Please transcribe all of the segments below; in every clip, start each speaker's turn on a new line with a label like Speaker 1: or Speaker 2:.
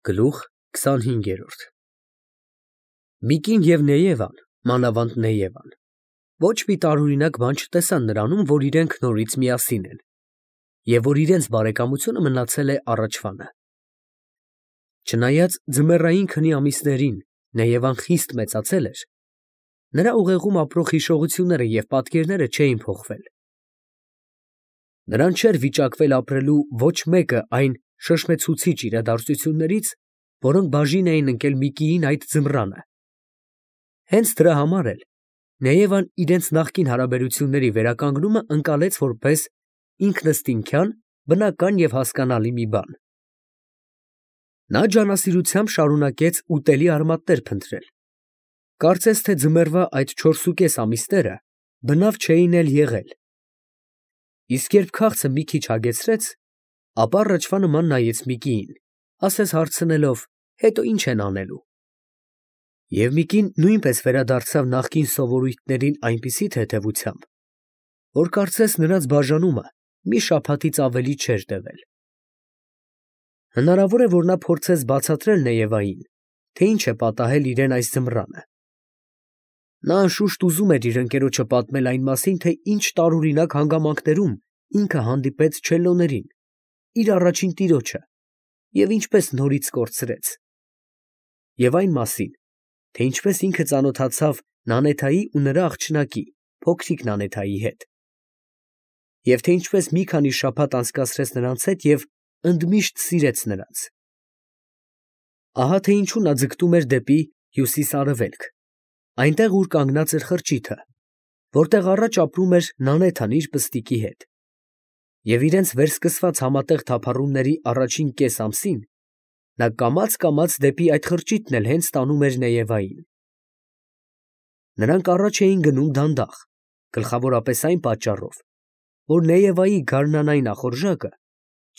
Speaker 1: Գլուխ 25 Միկին և Նեևան, մանավանդ Նեևան, ոչ մի տարօրինակ բան չտեսան նրանում, որ իրենք նորից միասին են, և որ իրենց բարեկամությունը մնացել է առաջվանը. Չնայած ձմեռային քնի ամիսներին Նեևան խիստ մեծացել էր, նրա ուղեղում ապրող հիշողությունները և պատկերները չէին փոխվել. նրան չէր վիճակվել ապրելու ոչ մեկը այն շշմեցուցիչ իրադարձություններից, որոնք բաժին էին ընկել Միկիին այդ ձմռանը. հենց դրա համար էլ Նեևան իրենց նախկին հարաբերությունների վերականգնումը ընկալեց որպես ինքնըստինքյան, բնական և հասկանալի մի բան. նա ջանասիրությամբ շարունակեց ուտելի արմատներ փնտրել, կարծես թե ձմեռվա այդ 4,5 ամիսները բնավ չէին էլ եղել, իսկ երբ քաղցը մի քիչ հագեցրեց, ապա առաջվա նման նայեց Միկիին, ասես հարցնելով. հետո ի՞նչ են անելու։ Եվ Միկին նույնպես վերադարձավ նախկին սովորույթներին այնպիսի թեթևությամբ, որ կարծես նրանց բաժանումը մի շաբաթից ավելի չէր տևել։ Հնարավոր է, որ նա փորձեց բացատրել Նեևային, թե ինչ է պատահել իրեն այս ձմռանը. նա անշուշտ ուզում էր իր ընկերոջը պատմել այն մասին, թե ինչ տարօրինակ հանգամանքներում ինքը հանդիպեց չելլոներին, իր առաջին տիրոջը, և ինչպես նորից կորցրեց, և այն մասին, թե ինչպես ինքը ծանոթացավ Նանեթայի ու նրա աղջնակի, փոքրիկ Նանեթայի հետ, և թե ինչպես մի քանի շաբաթ անցկացրեց նրանց հետ և ընդմիշտ սիրեց նրանց։ Ահա թե ինչու նա ձգտում էր դեպի հյուսիս֊արևելք, այնտեղ, ուր կանգնած էր խրճիթը, որտեղ առաջ ապրում էր Նանեթան իր պստիկի հետ, և իրենց վերսկսված համատեղ թափառումների առաջին կես ամսին նա կամաց դեպի այդ խրճիթն էլ հենց տանում էր Նեևային։ Նրանք առաջ էին գնում դանդաղ, գլխավորապես այն պատճառով, որ Նեևայի գարնանային ախորժակը,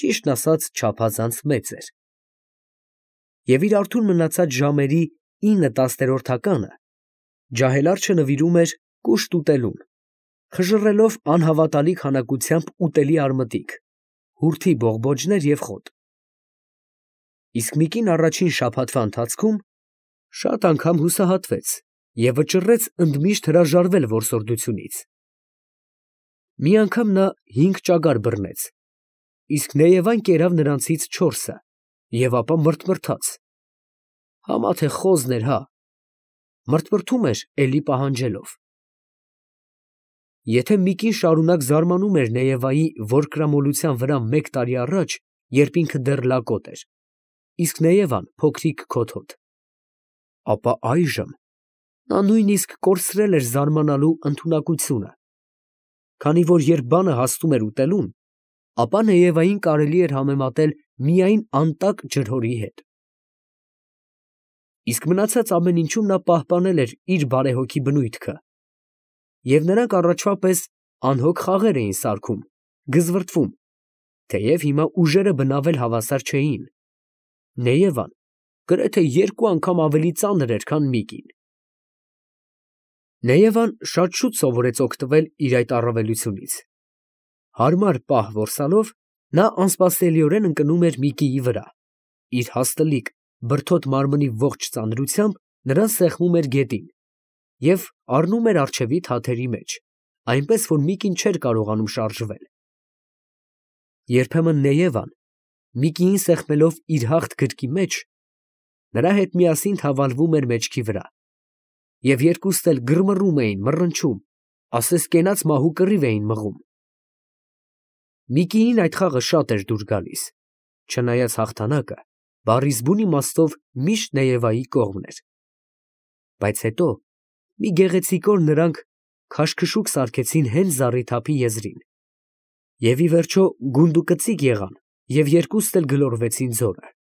Speaker 1: ճիշտն ասած, չափազանց մեծ էր, և իր արթուն մնացած ժամերի 9/10 ջահելարչը նվիրում էր կուշտ ուտելուն, խժռելով անհավատալի քանակությամբ ուտելի արմտիկ, հուրդի բողբոջներ և խոտ։ Իսկ Միկին առաջին շաբաթվա ընթացքում շատ անգամ հուսահատվեց և վճռեց ընդմիշտ հրաժարվել որսորդությունից։ Մի անգամ նա 5 ճագար բռնեց, իսկ Նեևան կերավ նրանցից 4-ը և ապա մրթմրթաց. համա թե խոզն էր, հա, մրթմրթում էր էլի պահանջելով։ Եթե Միկին շարունակ զարմանում էր Նեևայի որկրամոլության վրա 1 տարի առաջ, երբ ինքը դեռ լակոտ էր, իսկ Նեևան փոքրիկ քոթոտ, ապա այժմ նա նույնիսկ կորցրել էր զարմանալու ընդունակությունը, քանի որ երբ բանը հասնում էր ուտելուն, ապա Նեևային կարելի էր համեմատել միայն անտակ ջրհորի հետ։ Իսկ մնացած ամեն ինչում նա պահպանել էր իր բարեհոգի բնույթքը, և նրանք առաջվա պես անհոգ խաղեր էին սարքում, գզվրտվում, թեև հիմա ուժերը բնավ էլ հավասար չէին. Նեևան գրեթե 2 անգամ ավելի ծանր էր, քան Միկին։ Նեևան շատ շուտ սովորեց օգտվել իր այդ առավելությունից. հարմար պահ որսալով, նա անսպասելիորեն ընկնում էր Միկիի վրա, իր հաստլիկ, բրդոտ մարմնի ողջ ծանրությամբ նրան սեղմում էր գետին և առնում էր առջևի թաթերի մեջ, այնպես որ Միկին չէր կարողանում շարժվել։ Երբեմն Նեևան, Միկիին սեղմելով իր հաղթ գրկի մեջ, նրա հետ միասին թավալվում էր մեջքի վրա, և երկուստ էլ գրմռում էին, մռնչում, ասես կենաց մահու կռիվ էին մղում։ Միկիին այդ խաղը շատ էր դուր գալիս, չնայած հաղթանակը բառիս բուն իմաստով միշտ Նեևայի կողմն էր։ Բայց հետո մի գեղեցիկ օր նրանք քաշքշուկ սարքեցին հենց զառիթափի եզրին, և ի վերջո գունդուկծիկ եղան և երկուստ էլ գլորվեցին ձորը։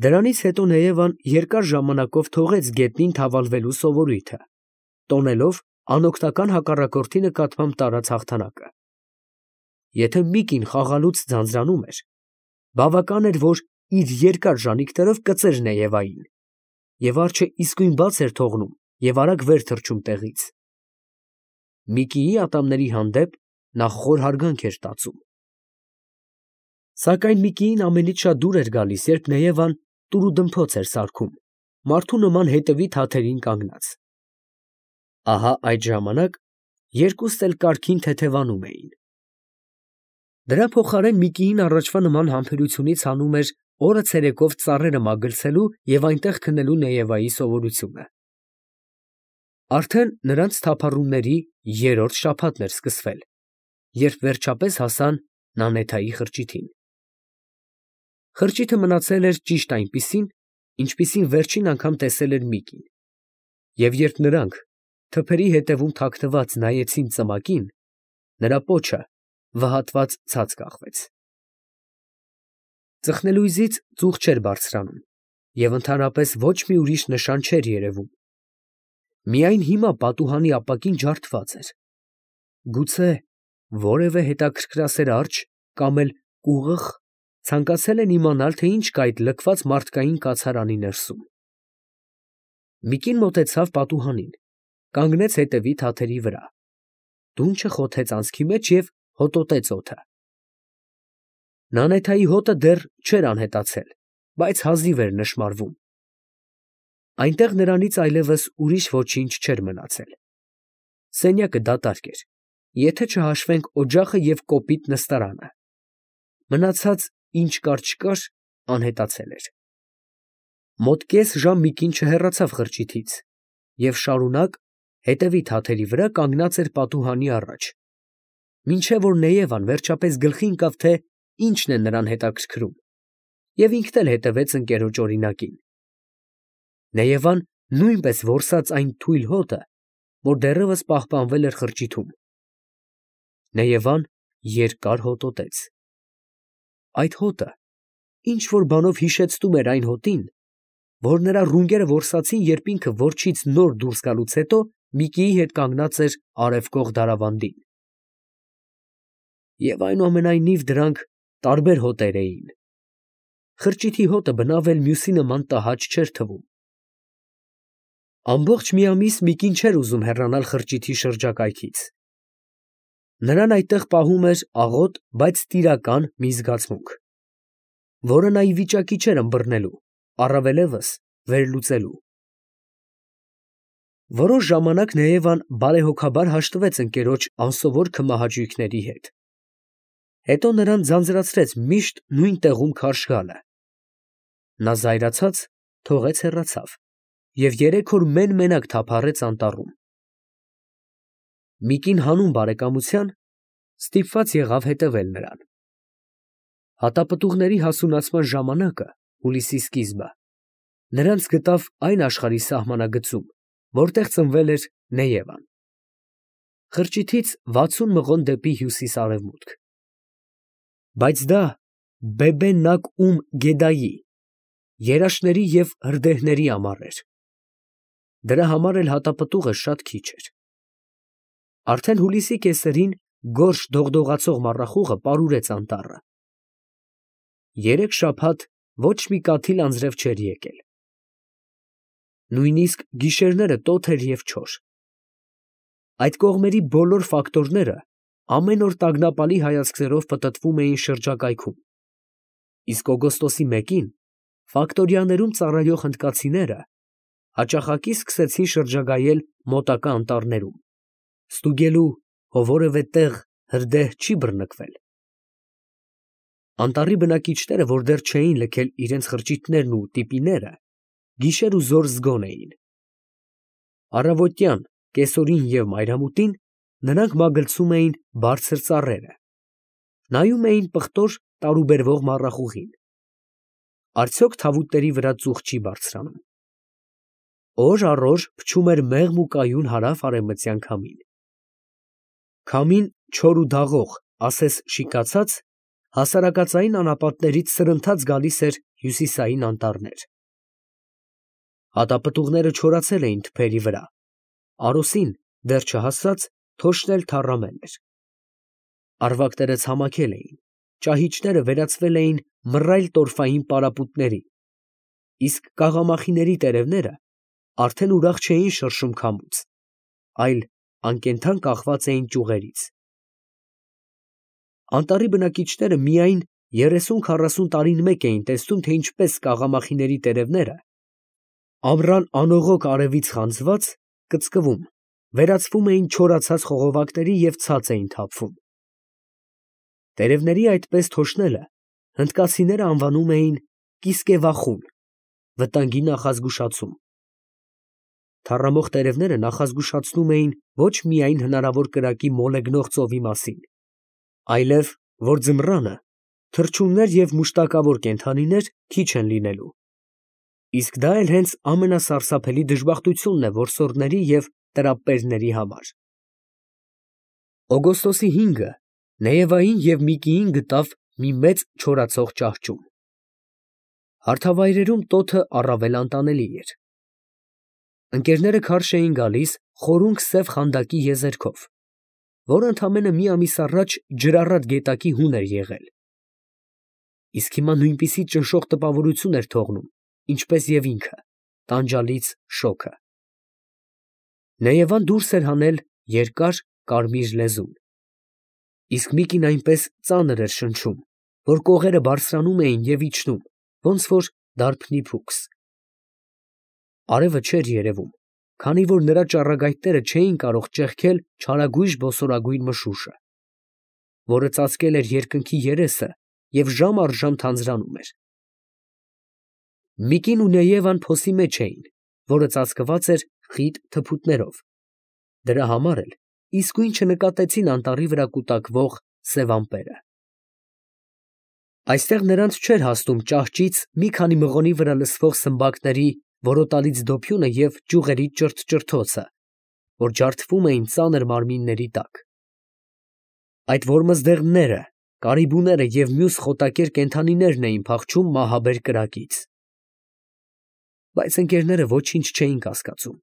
Speaker 1: Դրանից հետո Նեևան երկար ժամանակով թողեց գետնին թավալվելու սովորույթը, տոնելով անօգնական հակառակորդի նկատմամբ տարած հաղթանակը։ Եթե Միկին խաղալուց ձանձրանում էր, բավական էր, որ իր երկար ժանիքներով կծեր Նեևային, և արջը իսկույն բաց էր թողնում և արագ վեր թռչում տեղից։ Միկիի ատամների հանդեպ նա խոր հարգանք էր տածում։ Սակայն Միկիին ամենից շատ դուր էր գալիս, երբ Նեևան տուրուդմփոց էր սարքում, մարդու նման հետևի թաթերին կանգնած։ Ահա այդ ժամանակ երկուստ էլ կարգին թեթևանում էին։ Դրա փոխարեն Միկիին առաջվա նման համբերությունից հանում էր օրը ցերեկով ծառերը մագլցելու և այնտեղ քնելու Նեևայի սովորությունը։ Արդեն նրանց թափառումների երրորդ շաբաթն էր սկսվել, երբ վերջապես հասան Նանեթայի խրճիթին։ Խրճիթը մնացել էր ճիշտ այնպիսին, ինչպիսին վերջին անգամ տեսել էր Միկին, և երբ նրանք թփերի հետևում թաքնված նայեցին ծմակին, նրա պոչը վհատված ցած կախվեց։ Ծխնելույզից ծուխ չէր բարձրանում և ընդհանրապես ոչ մի ուրիշ նշան չէր երևում։ Միայն հիմա պատուհանի ապակին ջարդված էր։ Գուցե որևէ հետաքրքրասեր արջը կամ էլ կուղըղ ցանկացել են իմանալ, թե ինչ կա այդ լքված մարդկային կացարանի ներսում։ Միկին մոտեցավ պատուհանին, կանգնեց հետևի թաթերի վրա, դունչը խոթեց անցքի մեջ և հոտոտեց օդը։ Նանեթայի հոտը դեռ չէր անհետացել, բայց հազիվ էր նշմարվում։ Այնտեղ նրանից այլևս ուրիշ ոչինչ չէր մնացել։ Սենյակը դատարկ էր, եթե չհաշվենք օջախը և կոպիտ նստարանը։ Մնացած ինչ կար չկար, անհետացել էր։ Մոտ կես ժամ Միկին չհեռացավ խրճիթից և շարունակ հետևի թաթերի վրա կանգնած էր պատուհանի առաջ, մինչև որ Նեևան վերջապես գլխի ընկավ, թե ինչն է նրան հետաքրքրում, և ինքն էլ հետևեց ընկերոջ օրինակին։ Նեևան նույնպես որսաց այն թույլ հոտը, որ դեռևս պահպանվել էր խրճիթում։ Նեևան երկար հոտոտեց։ Այդ հոտը ինչ֊որ բանով հիշեցնում էր այն հոտին, որ նրա ռունգերը որսացին, երբ ինքը որջից նոր դուրս գալուց հետո Միկիի հետ կանգնած էր արևկող դարավանդին։ Եվ այնուամենայնիվ դրանք տարբեր հոտեր էին։ Խրճիթի հոտը բնավ էլ մյուսի նման տհաճ չէր թվում։ Ամբողջ մի ամիս Միկին չէր ուզում հեռանալ խրճիթի շրջակայքից։ Նրան այդտեղ պահում էր աղոտ, բայց տիրական մի զգացմունք, որը նա ի վիճակի չէր ըմբռնելու, առավելևս վերլուծելու։ Որոշ ժամանակ Նեևան բարեհոգաբար հաշտվեց ընկերոջ անսովոր քմահաճույքների հետ։ Հետո նրան ձանձրացրեց միշտ նույն տեղում քարշ գալը։ Նա զայրացած թողեց հեռացավ և 3 օր մեն֊մենակ թափառեց անտառում։ Միկին հանուն բարեկամության ստիպված եղավ հետևել նրան։ Հատապտուղների հասունացման ժամանակը, հուլիսի սկիզբը, նրանց գտավ այն աշխարհի սահմանագծում, որտեղ ծնվել էր Նեևան։ Խրճիթից 60 մղոն դեպի հյուսիս֊արևմուտք։ Բայց դա Բեբե֊Նակ֊Ում֊Գեդայի, երաշտների և հրդեհների ամառ էր։ Դրա համար էլ հատապտուղը շատ քիչ էր։ Արդեն հուլիսի կեսերին գորշ դողդողացող մառախուղը պարուրեց անտառը։ 3 շաբաթ ոչ մի կաթիլ անձրև չէր եկել։ Նույնիսկ գիշերները տոթ էր և չոր։ Այդ կողմերի բոլոր ֆակտորները ամեն օր տագնապալի հայացքներով պտտվում էին շրջակայքում, իսկ օգոստոսի 1-ին ֆակտորիաներում ծառայող հնդկացիները հաճախակի սկսեցին շրջագայել մոտակա անտառներում, ստուգելու, հո որևէ տեղ հրդեհ չի բռնկվել։ Անտառի բնակիչները, որ դեռ չէին լքել իրենց խրճիթներն ու տիպիները, գիշեր ու զօր զգոն էին։ Առավոտյան, կեսօրին և մայրամուտին նրանք մագլցում էին բարձր ծառերը, նայում էին պղտոր տարուբերվող մառախուղին։ Արդյոք թավուտների վրա ծուխ չի բարձրանում։ Օր առ օր փչում էր մեղմ ու կայուն հարավ֊արևմտյան քամին։ Քամին չոր ու դաղող, ասես շիկացած, հասարակածային անապատներից սրընթաց գալիս էր հյուսիսային անտառներ։ Հատապտուղները չորացել էին թփերի վրա, արոսին դեռ չհասած թոշն էլ թառամել էր։ Առվակները ցամաքել էին, ճահիճները վերածվել էին մռայլ տորֆային պարապուտների, իսկ կաղամախիների տերևները արդեն ուրախ չէին շրշում քամուց, այլ անկենդան կախված էին ճյուղերից։ Անտառի բնակիչները միայն 30-40 տարին մեկ էին տեսնում, թե ինչպես կաղամախիների տերևները, ամռան անողոք արևից խանձված, կծկվում, վերածվում էին չորացած խողովակների և ցած էին թափվում։ Տերևների այդպես թոշնելը հնդկացիները անվանում էին կիսկևախուն, վտանգի նախազգուշացում։ Թառամող տերևները նախազգուշացնում էին ոչ միայն հնարավոր կրակի մոլեգնող ծովի մասին, այլև, որ ձմռանը թռչուններ և մուշտակավոր կենդանիներ քիչ են լինելու։ Իսկ դա էլ հենց ամենասարսափելի դժբախտությունն է որսորդների և տրապպերների համար։ Օգոստոսի 5-ը Նեևային և Միկիին գտավ մի մեծ չորացող ճահճում։ Հարթավայրերում տոթը առավել անտանելի էր։ Ընկերները քարշ էին գալիս խորունգ սև խանդակի եզերքով, որը ընդամենը մի ամիս առաջ ջրառատ գետակի հուն էր եղել։ Իսկ հիմա նույնպիսի ճնշող տպավորություն էր թողնում, ինչպես և ինքը, տանջալից շոգը։ Նեևան դուրս էր հանել երկար կարմիր լեզուն, իսկ Միկին այնպես ծանր էր շնչում, որ կողերը բարձրանում էին և իջնում, ոնց որ դարբնի փուքս։ Արևը չէր երևում, քանի որ նրա ճառագայթները չէին կարող ճեղքել չարագույժ բոսորագույն մշուշը, որը ծածկել էր երկնքի երեսը և ժամ առ ժամ թանձրանում էր։ Միկին ու Նեևան փոսի մեջ էին, որը ծածկված էր խիտ թփուտներով, դրա համար էլ իսկույն չնկատեցին անտառի վրա կուտակվող սև ամպերը։ Այստեղ նրանց չէր հասնում ճահճից մի քանի մղոնի վրա լսվող սմբակների որոտալից դոփյունը և ճյուղերի ճրթճրթոցը, որ ջարդվում էին ծանր մարմինների տակ։ Այդ որմզդեղները, կարիբուները և մյուս խոտակեր կենդանիներն էին փախչում մահաբեր կրակից։ Բայց ընկերները ոչինչ չէին կասկածում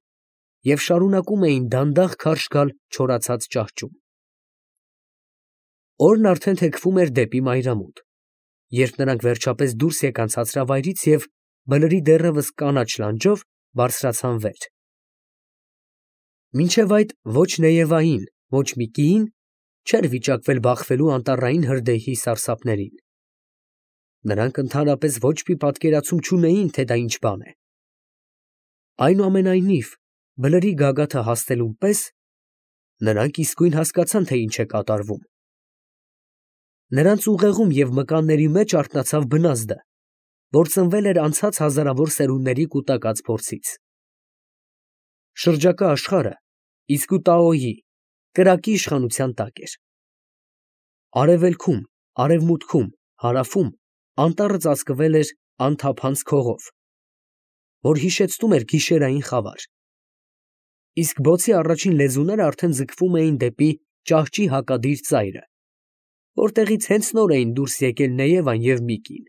Speaker 1: և շարունակում էին դանդաղ քարշ գալ չորացած ճահճում։ Օրն արդեն թեքվում էր դեպի մայրամուտ, երբ նրանք վերջապես դուրս եկան ցածրավայրից և բլրի դեռևս կանաչ լանջով բարձրացան վեր։ Մինչև այդ ոչ Նեևային, ոչ Միկիին չէր վիճակվել բախվելու անտառային հրդեհի սարսափներին։ Նրանք ընդհանրապես ոչ մի պատկերացում չունեին, թե դա ինչ բան է։ Այնուամենայնիվ, բլրի գագաթը հասնելուն պես նրանք իսկույն հասկացան, թե ինչ է կատարվում։ Նրանց ուղեղում և մկանների մեջ արթնացավ բնազդը, որ ծնվել էր անցած հազարավոր սերունդների կուտակած փորձից։ Շրջակա աշխարհը իսկուտաոյի կրակի իշխանության տակ էր։ Արևելքում, արևմուտքում, հարավում անտառը ծածկվել էր անթափանց քողով, որ հիշեցնում էր գիշերային խավար։ Իսկ բոցի առաջին լեզուները արդեն ձգվում էին դեպի ճահճի հակադիր ծայրը, որտեղից հենց նոր էին դուրս եկել Նեևան և Միկին։